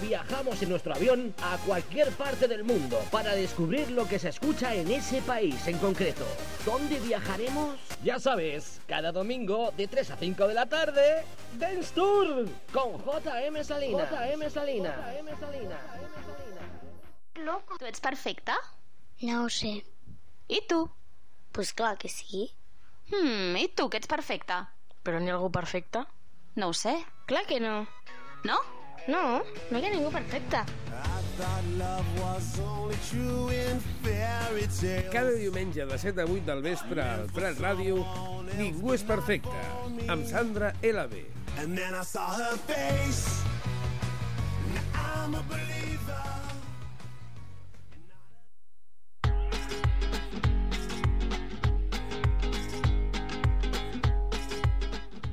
viajamos en nuestro avión a cualquier parte del mundo para descubrir lo que se escucha en ese país en concreto. ¿Dónde viajaremos? Ya sabes, cada domingo de 3 a 5 de la tarde, Dance Tour con J.M. Salinas. Loco, tu ets perfecte? No ho sé. I tu? Pues clar que sí. I tu, que ets perfecte? Però n'hi ha algú perfecte? No ho sé. Clar que no. No? No, no hi ha ningú perfecte. Cada diumenge de 7 a 8 del vespre al Prat Ràdio, Ningú és perfecte, amb Sandra LB. And then I saw her face. Now I'm a believer.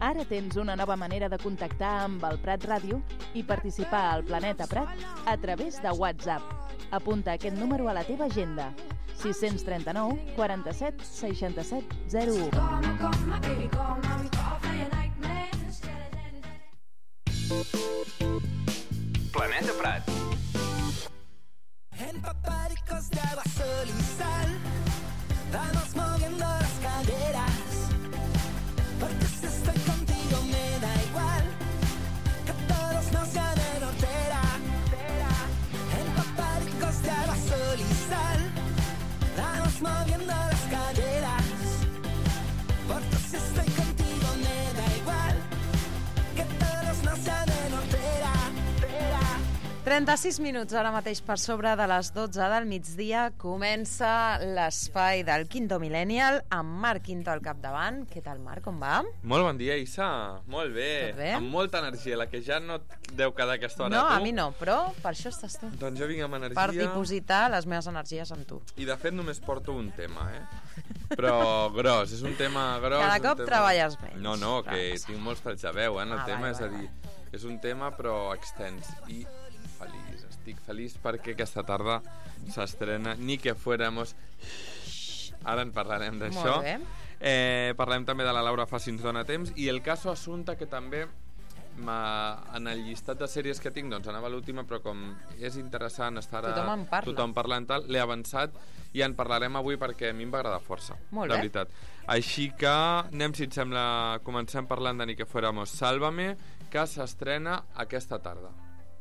Ara tens una nova manera de contactar amb el Prat Ràdio i participar al Planeta Prat a través de WhatsApp. Apunta aquest número a la teva agenda: 639 47 67 01. Planeta Prat. Empapádicos de agua, sol y sal, vamos moviendo las caderas, porque si estoy contigo me da igual que todos nos llamen hortera. Empapádicos de agua, sol y sal, vamos moviendo las caderas, porque si estoy contigo me da igual que todos nos llamen hortera. 36 minuts ara mateix per sobre de les 12 del migdia. Comença l'espai del Quinto Millennial amb Marc Quinto al capdavant. Què tal, Marc? Com va? Molt bon dia, Issa. Molt bé. Tot bé? Amb molta energia, la que ja no et deu quedar aquesta hora. No, tu. a mi no, però per això estàs tu. Doncs jo vinc amb energia. Per dipositar les meves energies amb tu. I de fet només porto un tema, Però gros, és un tema gros. Cada cop treballes menys. No, que tinc molts talls de veu, en el tema, vale, és a dir, és un tema però extens i feliç. Estic feliç perquè aquesta tarda s'estrena Ni que fuéramos. Ara en parlarem d'això. Molt bé. Parlem també de la Laura Fa si ens dona temps, i el caso Assumpta, que també en el llistat de sèries que tinc, doncs anava l'última, però com és interessant estar tothom parlant tal, l'he avançat i en parlarem avui perquè a mi em va agradar força. Molt de bé. veritat. Així que anem, si et sembla, comencem parlant de Ni que fuéramos. Sálvame, que s'estrena aquesta tarda.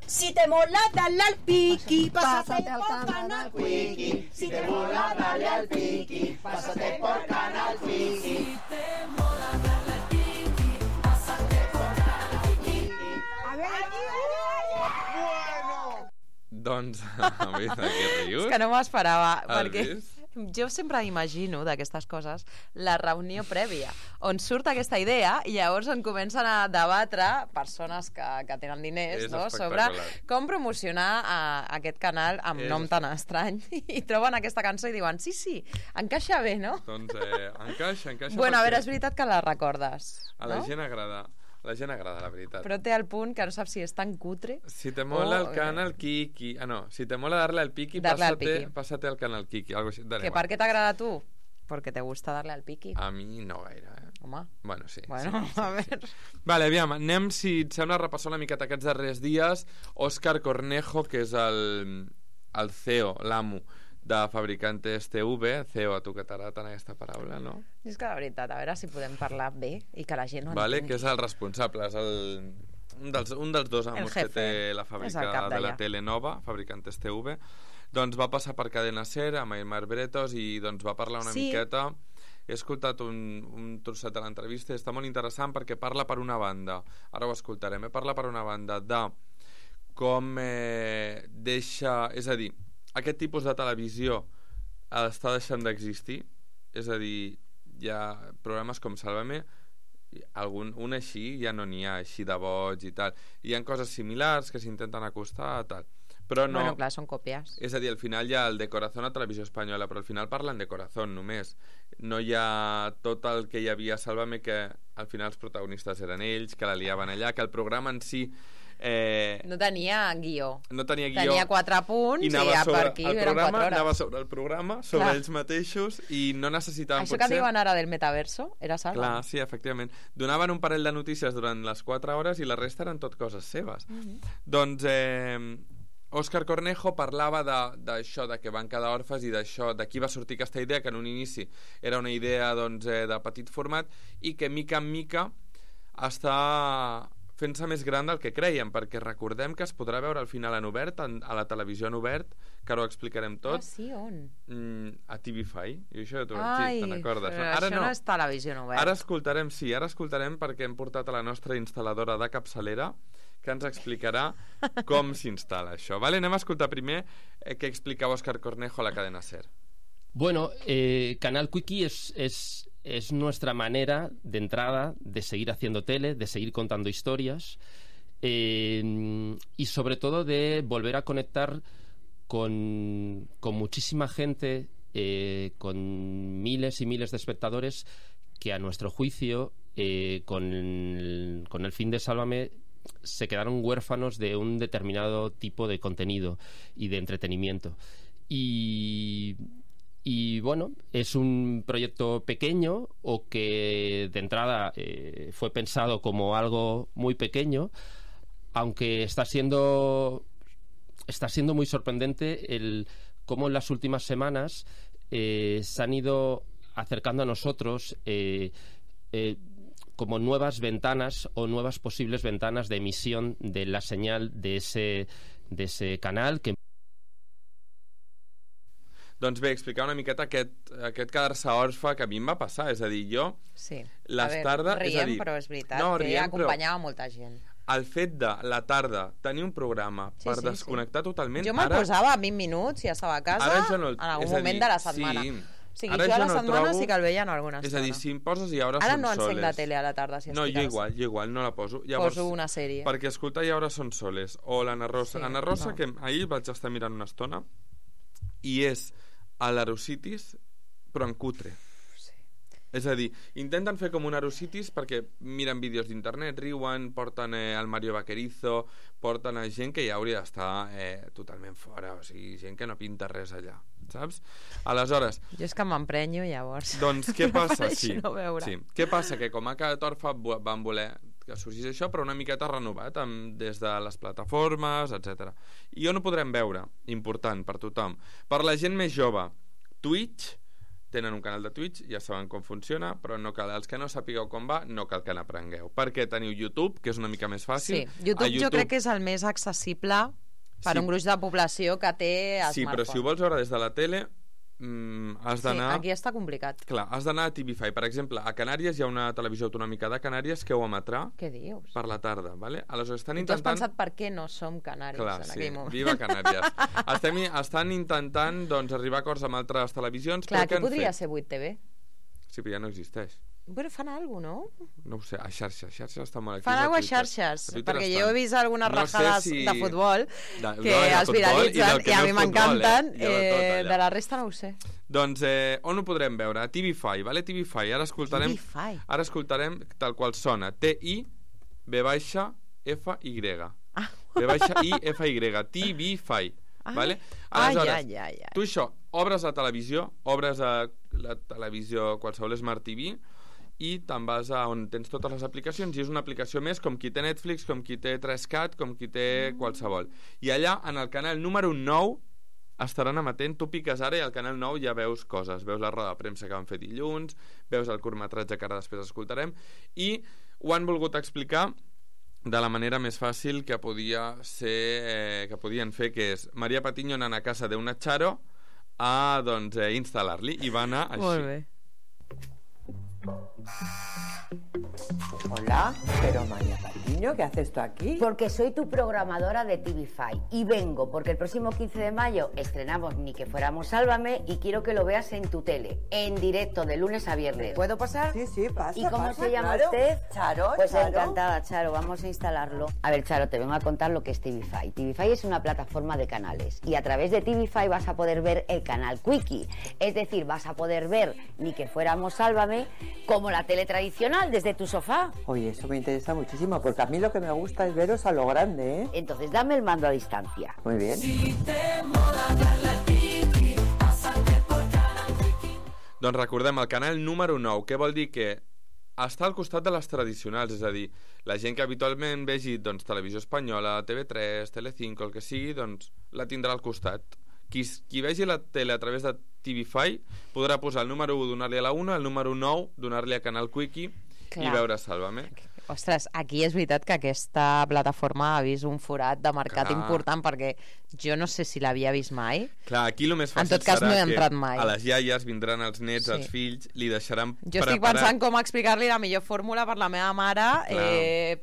Si te mola, dale al piqui, pásate por Canal Quickie. Si te mola, dale al piqui, pásate por Canal Quickie. Si te mola, dale al piqui, pásate por Canal Quickie. A ver, bueno. Doncs, a veure, què rius? És que no m'ho esperava, Has perquè vist? jo sempre imagino d'aquestes coses la reunió prèvia, on surt aquesta idea i llavors en comencen a debatre persones que tenen diners, És no? Sobre espectacular. com promocionar aquest canal amb nom tan estrany, i troben aquesta cançó i diuen sí, encaixa bé, no? Doncs encaixa. Bueno, a veure, és veritat que la recordes, a la no? gent agrada. La gent agrada, la veritat. Però té el punt que no saps si és tan cutre. Si te mola el canal Kiki... Ah, no. Si te mola darle al Piki, pásate al canal Kiki. Algo així. Que per què t'agrada a tu? Porque te gusta darle al piqui. A mi no gaire, Home. Bueno, sí. Bueno, sí. a veure... Vale, aviam, anem, si et sembla, a repassar una miqueta aquests darrers dies. Òscar Cornejo, que és el CEO, l'amo de Fabricantes TV, CEO, a tu que t'agrada tant aquesta paraula, no? És que la veritat, a veure si podem parlar bé i que la gent no vale, entengui. que és el responsable, és un dels dos amos que té la fàbrica de la Telenova, Fabricantes TV. Doncs va passar per Cadena Ser amb Aymar Bretos i doncs va parlar una miqueta. He escoltat un trosset de l'entrevista i està molt interessant perquè parla per una banda, ara ho escoltarem, parla per una banda de com deixa, és a dir, aquest tipus de televisió està deixant d'existir, és a dir, hi ha programes com Sálvame, un així ja no n'hi ha, així de boig i tal, hi ha coses similars que s'intenten acostar tal, però no... Bueno, clar, són còpies. És a dir, al final hi ha el de Corazón a Televisió Espanyola, però al final parlen de Corazón només, no hi ha tot el que hi havia a Sálvame, que al final els protagonistes eren ells, que la liaven allà, que el programa en si No tenia guió. No tenia guió. Tenia 4 punts i a per aquí eren 4 hores. Anava sobre el programa, sobre ells mateixos, i no necessitàvem Això que diuen ara del metaverso era Sálvame. Clar, sí, efectivament. Donaven un parell de notícies durant les 4 hores i la resta eren tot coses seves. Doncs Òscar Cornejo parlava d'això, de que van quedar orfes i d'això, d'aquí va sortir aquesta idea, que en un inici era una idea de petit format i que mica en mica està fent-se més gran del que creiem, perquè recordem que es podrà veure al final en obert, a la televisió en obert, que ara ho explicarem tot. Sí, on? A TV5. I això tu, Ai, sí, te'n recordes. Ara no és televisió en obert. Ara escoltarem perquè hem portat a la nostra instal·ladora de capçalera, que ens explicarà com s'instal·la això. Vale? Anem a escoltar primer què explicava Òscar Cornejo a la cadena SER. Bueno, Canal Quickie es nuestra manera de entrada de seguir haciendo tele, de seguir contando historias y sobre todo de volver a conectar con muchísima gente, con miles y miles de espectadores que a nuestro juicio con el fin de Sálvame se quedaron huérfanos de un determinado tipo de contenido y de entretenimiento. Y bueno, es un proyecto pequeño o que de entrada fue pensado como algo muy pequeño, aunque está siendo muy sorprendente cómo en las últimas semanas se han ido acercando a nosotros como nuevas ventanas o nuevas posibles ventanas de emisión de la señal de ese canal que... Doncs bé, explicar una miqueta aquest quedar-se orfe que a mi em va passar, és a dir, jo les tardes... Riem, però és veritat que acompanyava molta gent. El fet de la tarda tenir un programa per desconnectar totalment... Jo me'l posava a 20 minuts i estava a casa en algun moment de la setmana. O sigui, jo a la setmana sí que el veia en alguna estona. És a dir, si em poses i ara són soles... Ara no encenc la tele a la tarda, si estic a casa. No, jo igual, no la poso. Poso una sèrie. Perquè escoltar i ara són soles. O l'Anna Rosa. Anna Rosa, que ahir vaig estar mirant una estona, i és a l'Arocitis, però en cutre. És a dir, intenten fer com un Arocitis perquè miren vídeos d'internet, riuen, porten el Mario Vaquerizo, porten a gent que ja hauria d'estar totalment fora, o sigui, gent que no pinta res allà, saps? Aleshores... Jo és que m'emprenyo, llavors. Doncs què passa? No sí. Què passa? Que com a cada torfa van voler que sorgís això, però una miqueta renovat des de les plataformes, etc. I on ho podrem veure? Important per tothom. Per la gent més jove, Twitch, tenen un canal de Twitch, ja saben com funciona, però no cal, els que no sapigueu com va, no cal que n'aprengueu. Perquè teniu YouTube, que és una mica més fàcil. Sí, YouTube jo crec que és el més accessible per un gruix de població que té smartphone. Sí, però si ho vols veure des de la tele, has d'anar... Sí, aquí està complicat. Clar, has d'anar a TV5. Per exemple, a Canàries hi ha una televisió autonòmica de Canàries que ho emetrà per la tarda, ¿vale? Aleshores estan intentant... I tu has pensat per què no som canàries en aquell moment. Viva Canàries. Estan intentant arribar a acords amb altres televisions. Clar, que podria ser 8TV. Sí, però ja no existeix. Però fan alguna cosa, no? No ho sé, a xarxes està molt aquí. Fan alguna cosa a xarxes, perquè jo he vist algunes rajades de futbol que els viralitzen i a mi m'encanten, de la resta no ho sé. Doncs on ho podrem veure? A TV5, vale? TV5, ara escoltarem tal qual sona, T-I-V-F-Y V-I-F-Y, TV5, vale? Aleshores, tu això, obres la televisió, qualsevol Smart TV, i te'n vas a on tens totes les aplicacions i és una aplicació més com qui té Netflix, com qui té 3Cat, com qui té qualsevol. I allà, en el canal número 9, estaran emetent, tu piques ara i al canal 9 ja veus coses, veus la roda de premsa que van fer dilluns, veus el curtmetratge que ara després escoltarem, i ho han volgut explicar de la manera més fàcil que podien fer, que és Maria Patiño anant a casa d'una Charo a instal·lar-li, i va anar així. Molt bé. Hola, pero María Patiño, ¿qué haces tú aquí? Porque soy tu programadora de TV5 y vengo porque el próximo 15 de mayo estrenamos Ni que fuéramos Sálvame y quiero que lo veas en tu tele, en directo, de lunes a viernes. ¿Puedo pasar? Sí, pasa. ¿Y cómo se llama claro. usted? Charo. Pues Charo. Encantada, Charo, vamos a instalarlo. A ver, Charo, te vengo a contar lo que es TV5. TV5 es una plataforma de canales y a través de TV5 vas a poder ver el canal Quickie. Es decir, vas a poder ver Ni que fuéramos Sálvame como la tele tradicional desde tu sofá? Oye, eso me interesa muchísimo, porque a mí lo que me gusta es veros a lo grande, ¿eh? Entonces dame el mando a distancia. Muy bien. Doncs recordem, el canal número 9, què vol dir? Que està al costat de les tradicionals, és a dir, la gent que habitualment vegi doncs, televisió espanyola, TV3, Telecinco, el que sigui, doncs la tindrà al costat. Qui vegi la tele a través de TVFi podrà posar el número 1, donar-li a la 1, el número 9, donar-li a Canal Quickie i veure Sálvame. Ostres, aquí és veritat que aquesta plataforma ha vist un forat de mercat important, perquè jo no sé si l'havia vist mai. Clar, aquí el més fàcil en tot cas, no he entrat mai. A les iaies vindran els nets, els fills, li deixaran jo estic pensant com explicar-li la millor fórmula per la meva mare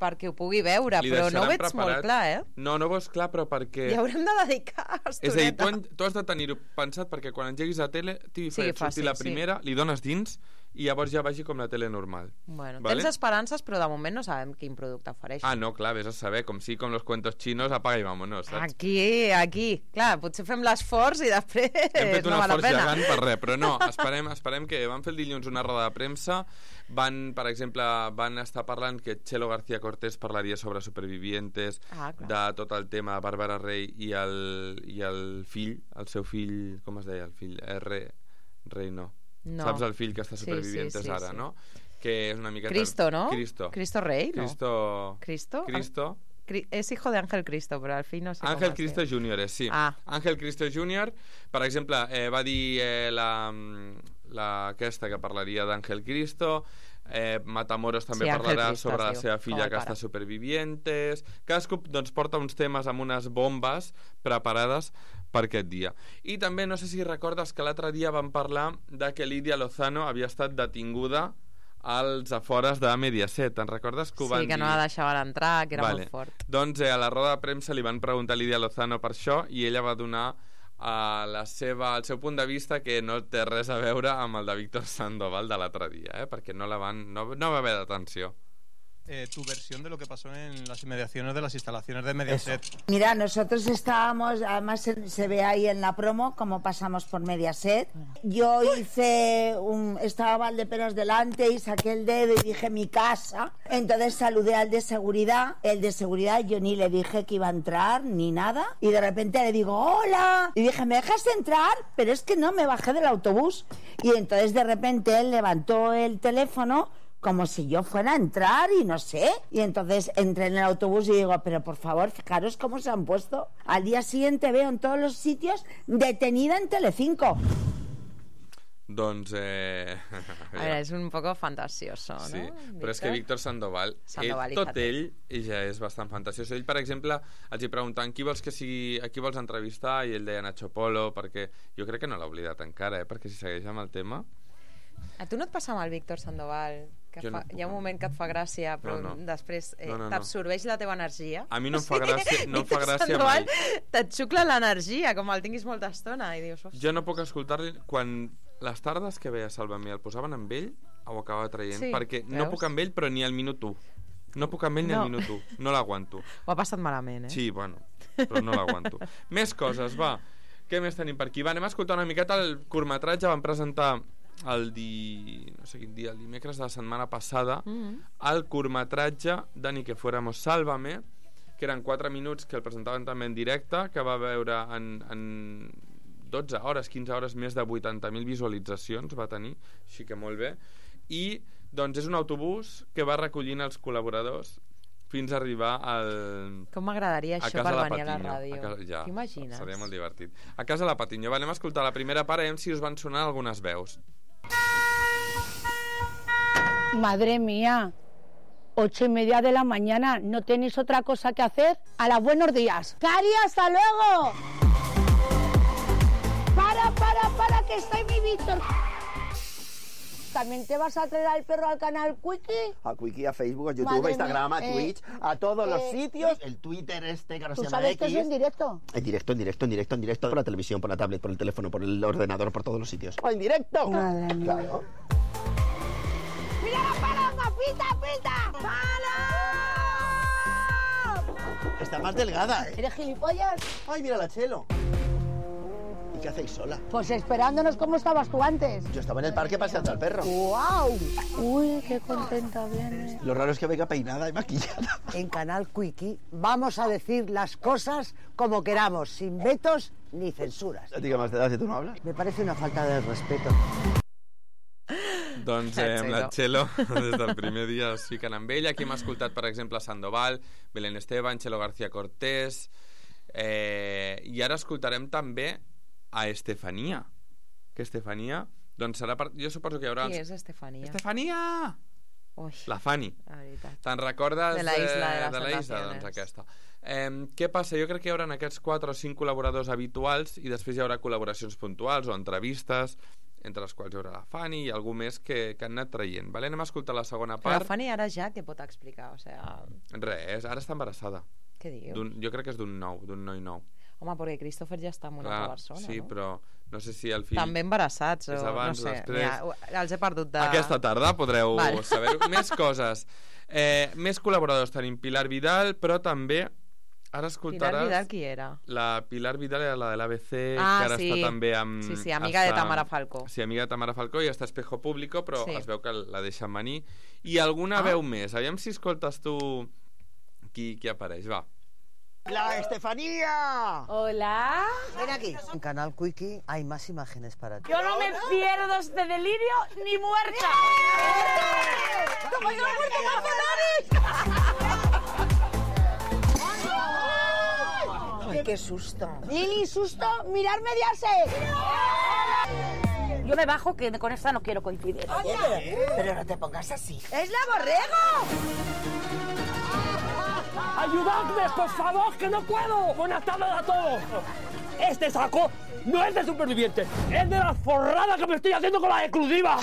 perquè ho pugui veure, però no ho veig molt clar, eh? No ho veus clar, però perquè... Hi haurem de dedicar estoneta. És a dir, tu has de tenir-ho pensat perquè quan engeguis la tele, TV5 surti la primera, li dones dins i llavors ja vagi com la tele normal. Bueno, tens esperances, però de moment no sabem quin producte ofereix. Ah, no, clar, vés a saber, com los cuentos chinos, apaga i vámonos, saps? Aquí, clar, potser fem l'esforç i després hem fet un no val la esforç pena. gegant per res, però no, esperem que van fer el dilluns una roda de premsa, per exemple, van estar parlant que Chelo García Cortés parlaria sobre Supervivientes, de tot el tema de Bàrbara Rey i el fill, el seu fill, com es deia el fill? Rey no. Saps el fill que està Supervivientes ara, no? Que és una miqueta... Cristo, ¿no? Cristo Rey, ¿no? Cristo. És hijo de Ángel Cristo, però al fill no sé com Ángel Cristo Junior, sí. Ángel Cristo Junior, per exemple, va dir aquesta que parlaria d'Ángel Cristo, Matamoros també parlarà sobre la seva filla que està Supervivientes. Cadascú doncs porta uns temes amb unes bombes preparades per aquest dia. I també no sé si recordes que l'altre dia vam parlar de que Lídia Lozano havia estat detinguda als afores de Mediaset. Te'n recordes que ho van dir? Sí, que no la deixaven entrar, que era molt fort. Doncs a la roda de premsa li van preguntar a Lídia Lozano per això i ella va donar el seu punt de vista, que no té res a veure amb el de Víctor Sandoval de l'altre dia, perquè no va haver detenció. Tu versión de lo que pasó en las inmediaciones de las instalaciones de Mediaset. Mira, nosotros estábamos, además se ve ahí en la promo cómo pasamos por Mediaset. Yo estaba Valdeperas delante y saqué el dedo y dije mi casa. Entonces saludé al de seguridad. El de seguridad yo ni le dije que iba a entrar ni nada. Y de repente le digo hola. Y dije, ¿me dejas entrar? Pero es que no, me bajé del autobús. Y entonces de repente él levantó el teléfono como si yo fuera a entrar y no sé. Y entonces entré en el autobús y digo, pero por favor, fijaros cómo se han puesto. Al día siguiente veo en todos los sitios detenida en Telecinco. Doncs... A veure, és un poco fantasioso, no? Sí, però és que Víctor Sandoval tot ell ja és bastant fantasioso. Ell, per exemple, els hi preguntaven a qui vols entrevistar i ell deia Nacho Polo, perquè jo crec que no l'ha oblidat encara, perquè si segueix amb el tema... A tu no et passa amb el Víctor Sandoval? Hi ha un moment que et fa gràcia, però després t'absorbeix la teva energia? A mi no em fa gràcia mai. Te't xucla l'energia, com el tinguis molta estona, i dius... Jo no puc escoltar-li quan les tardes que veia Sálvame el posaven amb ell, ho acabava traient, perquè no puc amb ell, però ni al minut 1. No puc amb ell ni al minut 1. No l'aguanto. Ho ha passat malament, Sí, bueno, però no l'aguanto. Més coses, va. Què més tenim per aquí? Va, anem a escoltar una miqueta el curtmetratge. Vam presentar el dimecres de la setmana passada el curtmetratge de Ni que fuéramos Sálvame, que eren 4 minuts que el presentaven també en directe, que va veure en 12 hores, 15 hores, més de 80.000 visualitzacions va tenir, així que molt bé. I doncs és un autobús que va recollint els col·laboradors fins a arribar Com m'agradaria això per venir a la ràdio. T'imagines? Seria molt divertit. A casa la Patiño. Anem a escoltar la primera part, si us van sonar algunes veus. Madre mía, 8:30 de la mañana, ¿no tenéis otra cosa que hacer? A las buenos días. ¡Cari, hasta luego! Para, que está mi Víctor. ¿También te vas a traer al perro al canal Quickie? A Quickie, a Facebook, a YouTube, a Instagram, a Twitch, a todos los sitios. El Twitter que ahora se llama X. ¿Tú sabes que es en directo? En directo, por la televisión, por la tablet, por el teléfono, por el ordenador, por todos los sitios. ¡En directo! Madre mía. Claro. ¡Mira la paloma! ¡Pita! ¡Palo! Está más delgada, ¿Eres gilipollas? ¡Ay, mira la Chelo! ¿qué hacéis sola? Pues esperándonos como estabas tú antes. Yo estaba en el parque paseando al perro. ¡Guau! Uy, qué contenta viene. Lo raro es que venga peinada y maquillada. En Canal Quickie vamos a decir las cosas como queramos, sin vetos ni censuras. ¿A ti qué más te da si tú no hablas? Me parece una falta de respeto. Doncs amb la Txelo, des del primer dia es fiquen amb ella. Aquí hem escoltat, per exemple, Sandoval, Belén Esteban, Txelo García Cortés, i ara escoltarem també a Estefania, que Estefania, doncs serà jo suposo que hi haurà... Qui és Estefania? Estefania! Ui, la Fanny. La veritat. Te'n recordes de la Isla de la Isla? Doncs aquesta. Què passa? Jo crec que hi haurà aquests 4 o 5 col·laboradors habituals i després hi haurà col·laboracions puntuals o entrevistes, entre les quals hi haurà la Fanny i algú més que han anat traient. Vale? Anem a escoltar la segona part. La Fanny ara ja què pot explicar? O sea... Res, ara està embarassada. Què dius? Jo crec que és d'un noi nou. Home, perquè Christopher ja està amb una altra persona, sí, no? però no sé si el fill... També embarassats, o abans, no sé. després... Ja, els he perdut de... Aquesta tarda podreu saber-ho. Més coses. Més col·laboradors tenim Pilar Vidal, però també... Ara escoltaràs... Pilar Vidal qui era? La Pilar Vidal era la de l'ABC, que ara està també amb... Sí, amiga de Tamara Falcó. Sí, amiga de Tamara Falcó i està a Espejo Público, però es veu que la deixen venir. I alguna veu més. Aviam si escoltes tu qui apareix, va. ¡La Estefanía! Hola. Ven aquí. En Canal Quickie hay más imágenes para ti. Yo no me pierdo este delirio ni muerta. ¡Como yo muerto ¡Ay, qué susto! Ni susto, mirar Mediaset. Yo me bajo, que con esta no quiero coincidir. Oye, pero no te pongas así. ¡Es la Borrego! ¡Ayudadme, por favor, que no puedo! ¡Buenas tardes a todos! Este saco no es de superviviente, es de la forrada que me estoy haciendo con la exclusiva.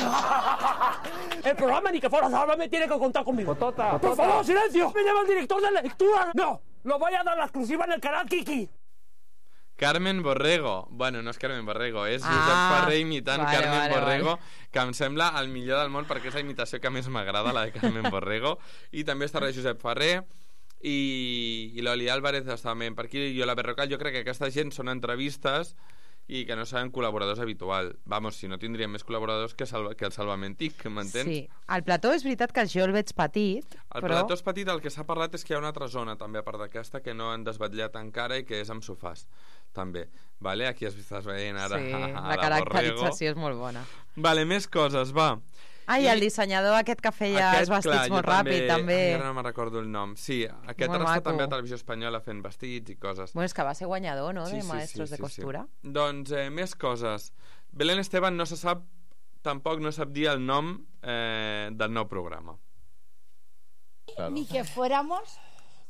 El programa Ni que fuera Sálvame tiene que contar conmigo. Por favor, silencio. Me llama el director de lectura. No, lo voy a dar la exclusiva en el canal Kiki. Carmen Borrego. Bueno, no és Carmen Borrego, és Josep Ferrer imitant Carmen Borrego, que em sembla el millor del món perquè és la imitació que més m'agrada, la de Carmen Borrego. I també estarà Josep Ferrer i l'Oli Álvarez està també per aquí, i la Berrocal. Jo crec que aquesta gent són entrevistes i que no seran col·laboradors habituals. Vamos, si no tindríem més col·laboradors que el Salvament TIC, m'entens? Sí, el plató és veritat que jo el veig petit, el plató és petit, el que s'ha parlat és que hi ha una altra zona també a part d'aquesta que no han desvetllat encara i que és amb sofàs també, vale? Aquí estàs veient ara sí, la caracterització és molt bona. Vale, més coses, va. Ai, el dissenyador aquest que feia els vestits molt ràpid, també. Ara no me'n recordo el nom. Sí, aquest ara està també a Televisió Espanyola fent vestits i coses. Bueno, és que va ser guanyador, no?, de Maestros de Costura. Doncs més coses. Belén Esteban no se sap, tampoc no sap dir el nom del nou programa. Ni que fuéramos...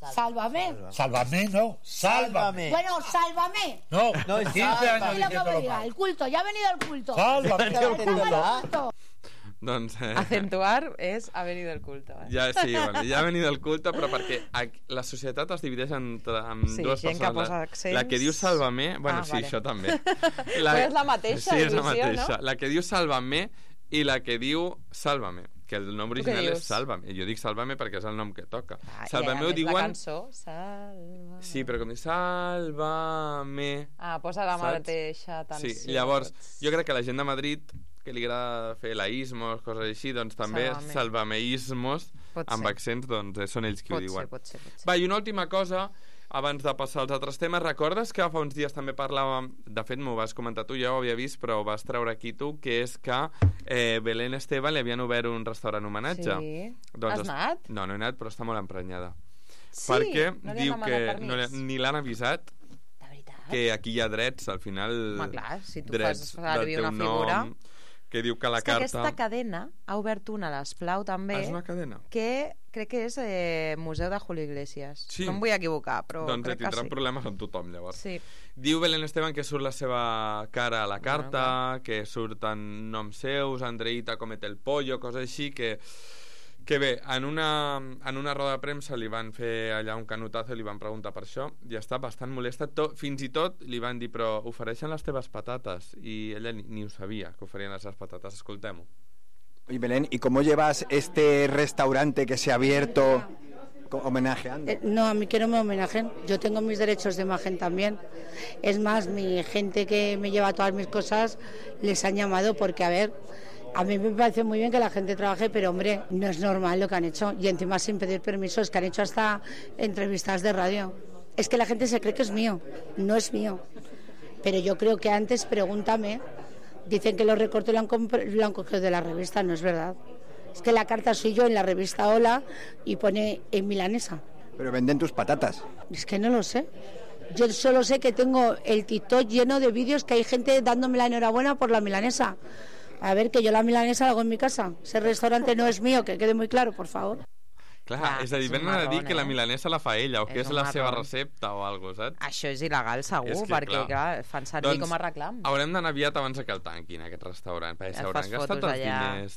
Sálvame. Sálvame, no. Sálvame. Bueno, sálvame. No, 15 años diciéndolo mal. El culto, ya ha venido el culto. Sálvame el culto. Doncs, acentuar és ha venido el culto. Ja, sí, bueno, ja ha venido el culto, però perquè la societat es divideix en dues persones. La que diu Sálvame, bueno, sí, vale. Això també. Però és la mateixa sí, és la visió, mateixa. No? La que diu Sálvame i la que diu Sálvame, que el nom original és Sálvame. Jo dic Sálvame perquè és el nom que toca. Sálvame ho diuen... La cançó, Sálvame... Sí, però com diu Sálvame... posa la mateixa tensió. Sí, llavors, jo crec que la gent de Madrid que li agrada fer laïsmos, coses així, doncs també salvameismos amb accents, doncs són ells qui ho diuen. Pot ser. Va, i una última cosa abans de passar als altres temes. Recordes que fa uns dies també parlàvem, de fet m'ho vas comentar tu, ja ho havia vist, però ho vas treure aquí tu, que és que Belén Esteban li havien obert un restaurant homenatge. Sí. Doncs, has anat? No, no he anat, però està molt emprenyada. Sí? Perquè no diu que ni l'han avisat que aquí hi ha drets, al final clar, si tu drets fas servir una figura nom, que diu que la carta... Aquesta cadena ha obert una a l'Esplau també. És una cadena? Que crec que és Museu de Julio Iglesias. Sí. No em vull equivocar, però doncs crec que sí. Tindran problemes amb tothom, llavors. Sí. Diu Belén Esteban que surt la seva cara a la carta, que surten noms seus, Andreita comete el pollo, coses així, que bé, en una roda de premsa li van fer allà un canotazo i li van preguntar per això i està bastant molesta, fins i tot li van dir, però ofereixen les teves patates, i ella ni ho sabia que oferien les seves patates. Escoltem-ho. Oye, Belén, ¿y cómo llevas este restaurante que se ha abierto homenajeando. No, a mí que no me homenajen. Yo tengo mis derechos de imagen también. Es más, mi gente que me lleva todas mis cosas les han llamado porque, a ver, a mí me parece muy bien que la gente trabaje, pero, hombre, no es normal lo que han hecho. Y encima sin pedir permisos, que han hecho hasta entrevistas de radio. Es que la gente se cree que es mío. No es mío. Pero yo creo que antes, pregúntame, dicen que los recortes lo han cogido de la revista. No es verdad. Es que la carta soy yo en la revista Hola y pone en milanesa. Pero venden tus patatas. Es que no lo sé. Yo solo sé que tengo el TikTok lleno de vídeos que hay gente dándome la enhorabuena por la milanesa. A ver, que yo la milanesa la hago en mi casa. Ese restaurante no es mío, que quede muy claro, por favor. Clar, és a dir, venen a dir que la milanesa la fa ella o que és la seva recepta o alguna cosa, saps? Això és il·legal, segur, perquè clar, fan servir com a reclam. Haurem d'anar aviat abans que el tanquin, aquest restaurant, perquè s'hauran gastat els diners,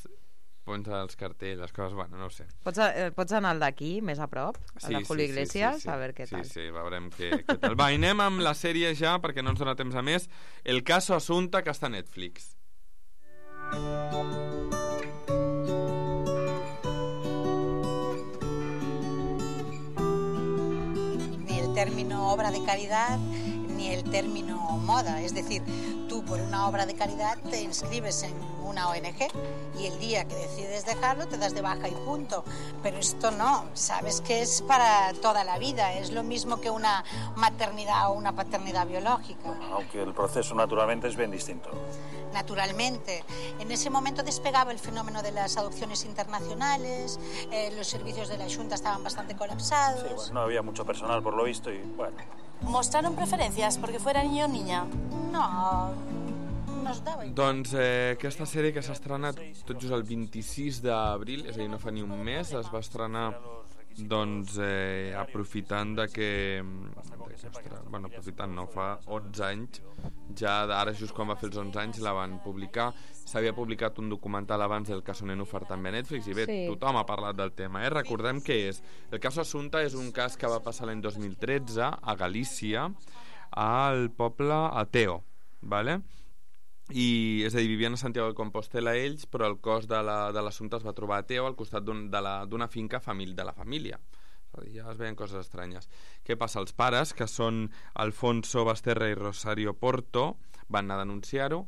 pons els cartells, les coses, bueno, no ho sé. Pots anar al d'aquí, més a prop, a la Julio Iglesias, a veure què tal. Sí, veurem què tal. Va, anem amb la sèrie ja, perquè no ens dona temps a més. El caso Asunta, que està a Netflix. Término obra de caridad ni el término moda, es decir, tú por una obra de caridad te inscribes en una ONG y el día que decides dejarlo te das de baja y punto, pero esto no, sabes que es para toda la vida, es lo mismo que una maternidad o una paternidad biológica. Aunque el proceso naturalmente es bien distinto. Naturalmente. En ese momento despegaba el fenómeno de las adopciones internacionales, los servicios de la Xunta estaban bastante colapsados. Sí, bueno, no había mucho personal por lo visto y bueno. ¿Mostraron preferencias porque fuera niño o niña? No, nos daba igual. Doncs aquesta sèrie que s'ha estrenat tot just el 26 d'abril, és a dir, no fa ni un mes, es va estrenar doncs aprofitant de que bueno, aprofitant no, fa 11 anys ja ara just quan va fer els 11 anys la van publicar, s'havia publicat un documental abans del caso Nenúfar també a Netflix i bé, sí. Tothom ha parlat del tema, recordem què és. El cas Assunta és un cas que va passar l'any 2013 a Galícia al poble Ateo, vale? I, és a dir, vivien a Santiago de Compostela ells, però el cos de l'assumpte es va trobar a Teo al costat d'una finca de la família. Ja es veien coses estranyes. Què passa? Els pares, que són Alfonso Basterra i Rosario Porto, van anar a denunciar-ho.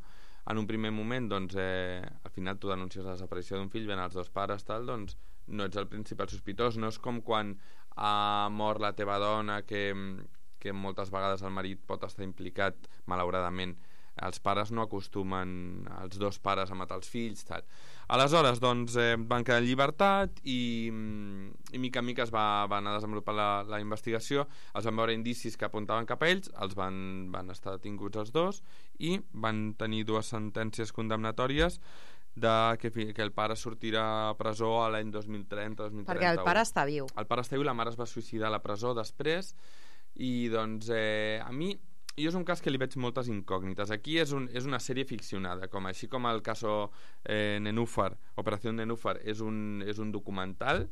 En un primer moment, doncs, al final tu denuncies la desaparició d'un fill, ven els dos pares, tal, doncs no ets el principal sospitós. No és com quan ha mort la teva dona, que moltes vegades el marit pot estar implicat, malauradament. Els pares no acostumen, els dos pares, a matar els fills, tal. Aleshores, doncs, van quedar en llibertat i mica en mica es va anar desenvolupant la investigació, els van veure indicis que apuntaven cap a ells, els van estar detinguts els dos i van tenir dues sentències condemnatòries que el pare sortirà a presó a l'any 2030-2031. Perquè el pare està viu. El pare està viu, la mare es va suïcidar a la presó després i doncs a mi és un cas que li veig moltes incògnites. Aquí és una sèrie ficcionada, així com el caso Nenúfar, Operació Nenúfar, és un documental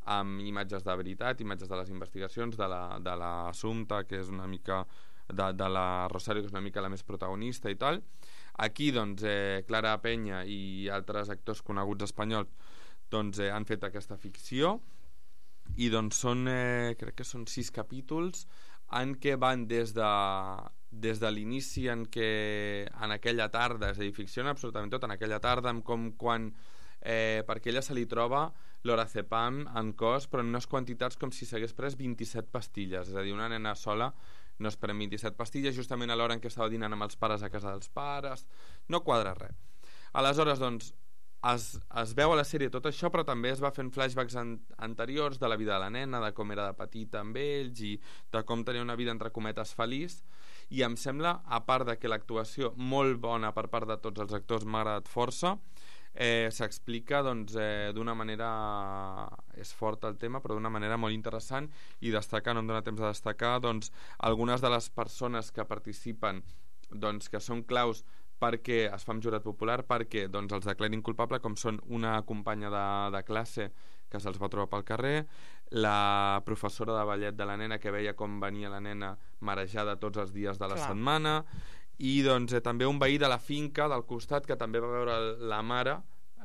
amb imatges de veritat, imatges de les investigacions de l'Assumpta, que és una mica de la Rosario, que és una mica la més protagonista i tal. Aquí, doncs, Clara Peña i altres actors coneguts espanyols doncs, han fet aquesta ficció i doncs crec que són 6 capítols en què van des de l'inici en aquella tarda, és a dir, ficciona absolutament tot en aquella tarda, com quan perquè ella se li troba l'orazepam en cos, però en unes quantitats com si s'hagués pres 27 pastilles, és a dir, una nena sola no es pren 27 pastilles justament a l'hora en què estava dinant amb els pares a casa dels pares, no quadra res. Aleshores, doncs, es veu a la sèrie tot això, però també es va fent flashbacks anteriors de la vida de la nena, de com era de petita amb ells i de com tenia una vida entre cometes feliç, i em sembla, a part de que l'actuació molt bona per part de tots els actors m'ha agradat força, s'explica doncs, d'una manera, és fort el tema, però d'una manera molt interessant, i destacar, no em dona temps de destacar, doncs, algunes de les persones que participen, doncs, que són claus perquè es fa amb jurat popular, perquè doncs, els declarin culpable, com són una companya de classe que se'ls va trobar pel carrer, la professora de ballet de la nena que veia com venia la nena marejada tots els dies de la setmana, i doncs, també un veí de la finca del costat que també va veure la mare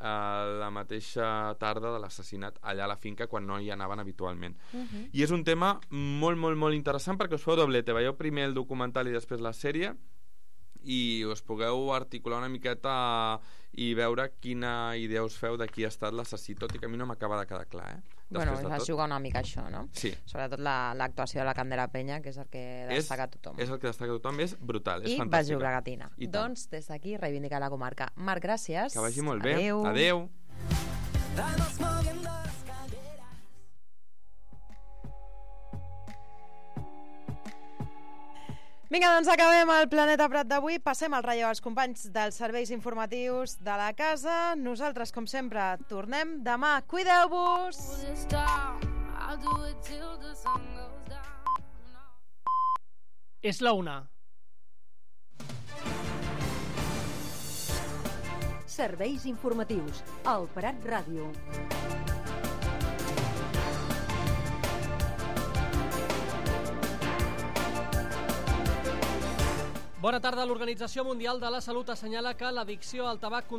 la mateixa tarda de l'assassinat allà a la finca quan no hi anaven habitualment. I és un tema molt, molt, molt interessant perquè us feu doblete, veieu primer el documental i després la sèrie i us pugueu articular una miqueta i veure quina idea us feu de qui ha estat l'assassí, tot i que a mi no m'acaba de quedar clar, Bueno, es juga una mica això, no? Sí. Sobretot l'actuació de la Candela Peña, que és el que destaca tothom. És el que destaca tothom, és brutal, és fantàstica. I Baix Llobregatina. Doncs des d'aquí reivindicar la comarca. Marc, gràcies. Que vagi molt bé. Adéu. Adéu. Vinga, doncs acabem el Planeta Prat d'avui. Passem al relleu als companys dels serveis informatius de la casa. Nosaltres, com sempre, tornem demà. Cuideu-vos! És la 1. Serveis informatius al Prat Ràdio. Bona tarda. L'Organització Mundial de la Salut assenyala que l'addicció al tabac